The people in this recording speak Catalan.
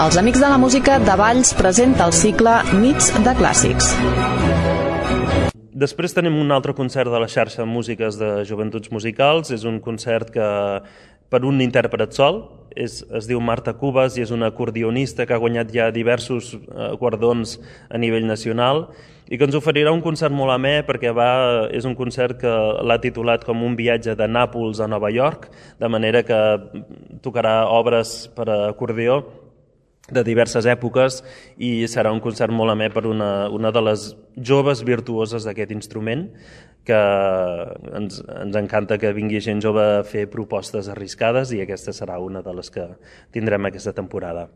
Els Amics de la Música de Valls presenta el cicle Nits de Clàssics. Després tenim un altre concert de la xarxa de músiques de Joventuts Musicals. És un concert que per un intèrpret sol, es diu Marta Cubas i és una acordionista que ha guanyat ja diversos guardons a nivell nacional i que ens oferirà un concert molt amè perquè és un concert que l'ha titulat com un viatge de Nàpols a Nova York, de manera que tocarà obres per a acordió de diverses èpoques i serà un concert molt amè per una de les joves virtuoses d'aquest instrument, que ens encanta que vingui gent jove a fer propostes arriscades i aquesta serà una de les que tindrem aquesta temporada.